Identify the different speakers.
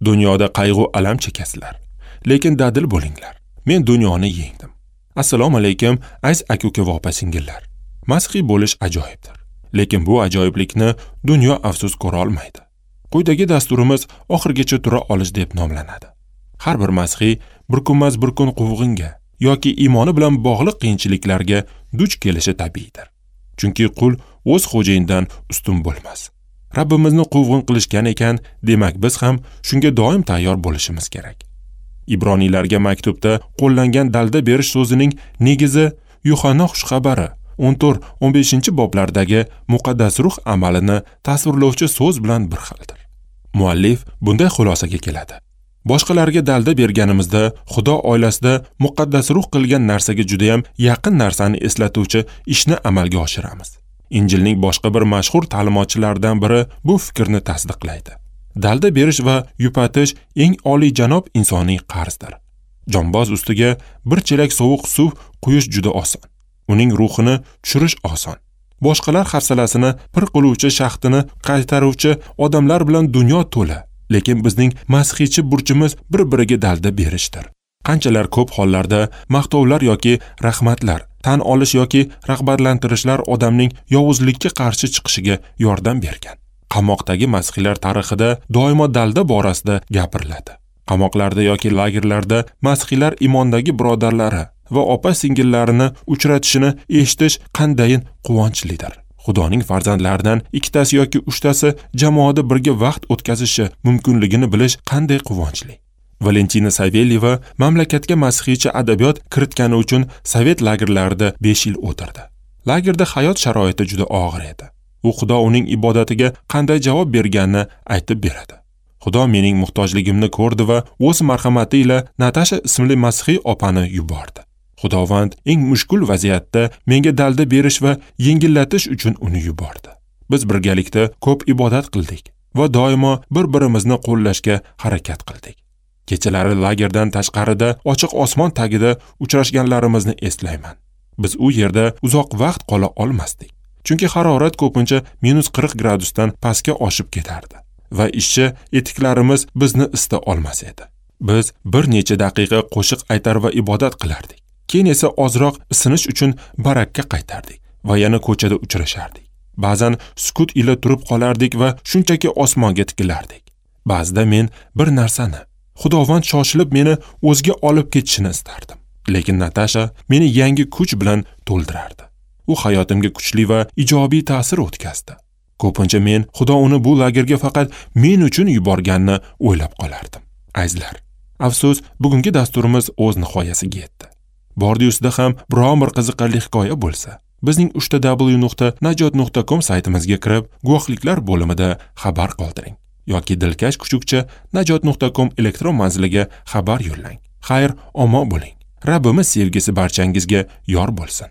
Speaker 1: Dunyoda qayg'u alam chekasizlar, lekin dadil bo'linglar. Men dunyoni yengdim. Assalomu alaykum, aziz aka-uka va opa-singillar. Masihiy bo'lish ajoyibdir. Lekin bu ajoyiblikni dunyo afsus ko'ra olmaydi. Quyidagi dasturimiz oxirigacha tura olish deb nomlanadi. Har bir masihiy bir kunmas bir kun quvg'inga yoki iymoni bilan bog'liq qiyinchiliklarga duch kelishi tabiiydir. Chunki qul o'z xo'jayinidan ustun bo'lmas. Rabbimizni quvg'in qilishgan ekan, demak biz ham shunga doim tayyor bo'lishimiz kerak. Ibroniylarga maktubda qo'llangan dalda berish so'zining negizi Yuhanna xushxabari 14-15 boblardagi muqaddas ruh amalini tasvirlovchi so'z bilan bir xildir. Muallif bunday xulosaga keladi. Boshqalarga dalda berganimizda Xudo oilasida muqaddas ruh qilgan narsaga juda ham yaqin narsani eslatuvchi ishni amalga oshiramiz. Injilning boshqa bir mashhur ta'limotchilaridan biri bu fikrni tasdiqlaydi. Dalda berish va yupatish eng oliyjanob insoniy qarzdir. Jonboz ustiga bir chelak sovuq suv quyish juda oson. Uning ruhini tushirish oson. Boshqalar hafsalasini pir qiluvchi, shaxtini qaytaruvchi odamlar bilan dunyo to'la. Lekin bizning masihiychi burchimiz bir-biriga dalda berishdir. Qanchalar ko'p hollarda maqtovlar yoki rahmatlar, tan olish yoki rag'batlantirishlar odamning yovuzlikka qarshi chiqishiga yordam bergan. Qamoqdagi masihiylar tarixida doimo dalda borasida gapiriladi. Qamoqlarda yoki lagerlarda masihiylar imondagi birodarlari va opa-singillarini uchratishini eshitish qandayin quvonchlidir. Xudoning farzandlaridan ikkitasi yoki uchtasi jamoada birga vaqt o'tkazishi mumkinligini bilish qanday quvonchli. Valentina Savelyeva mamlakatga masihiycha adabiyot kiritgani uchun sovet lagerlarida 5 yil o'tirdi. Lagerda hayot sharoiti juda og'ir edi. U Xudo uning ibodatiga qanday javob berganini aytib beradi. Xudo mening muhtojligimni ko'rdi va o'z marhamati ila Natasha ismli masihiy opani yubordi. Xudovand eng mushkul vaziyatda menga dalda berish va yengillatish uchun uni yubordi. Biz birgalikda ko'p ibodat qildik va doimo bir-birimizni qo'llashga harakat qildik. Kechalari lagerdan tashqarida ochiq osmon tagida uchrashganlarimizni eslayman. Biz u yerda uzoq vaqt qola olmasdik. Chunki harorat ko'pincha -40 gradusdan pastga oshib ketardi va ishchi etiklarimiz bizni isita olmas edi. Biz bir necha daqiqa qo'shiq aytar va ibodat qilardik. Keyin esa ozroq isinish uchun barakka qaytardik va yana ko'chada uchrashardik. Ba'zan sukut ila turib qolardik va shunchaki osmonga tikilardik. Ba'zida men bir narsani, Xudovand shoshilib meni o'ziga olib ketishini istardim. Lekin Natasha meni yangi kuch bilan to'ldirardi. U hayotimga kuchli va ijobiy ta'sir o'tkazdi. Ko'pincha men Xudo uni bu lagerga faqat men uchun yuborganini o'ylab qolardim. Azizlar, afsus, bugungi dasturimiz o'z nihoyasiga yetdi. Bordi-ustida ham biron bir qiziqarli hikoya bo'lsa, bizning www.najot.com saytimizga kirib, guvohliklar bo'limida xabar qoldiring yoki dilkash kuchukcha najot.com elektron manziliga xabar yo'llang. Xayr, omon bo'ling. Rabbimiz sevgisi barchangizga yor bo'lsin.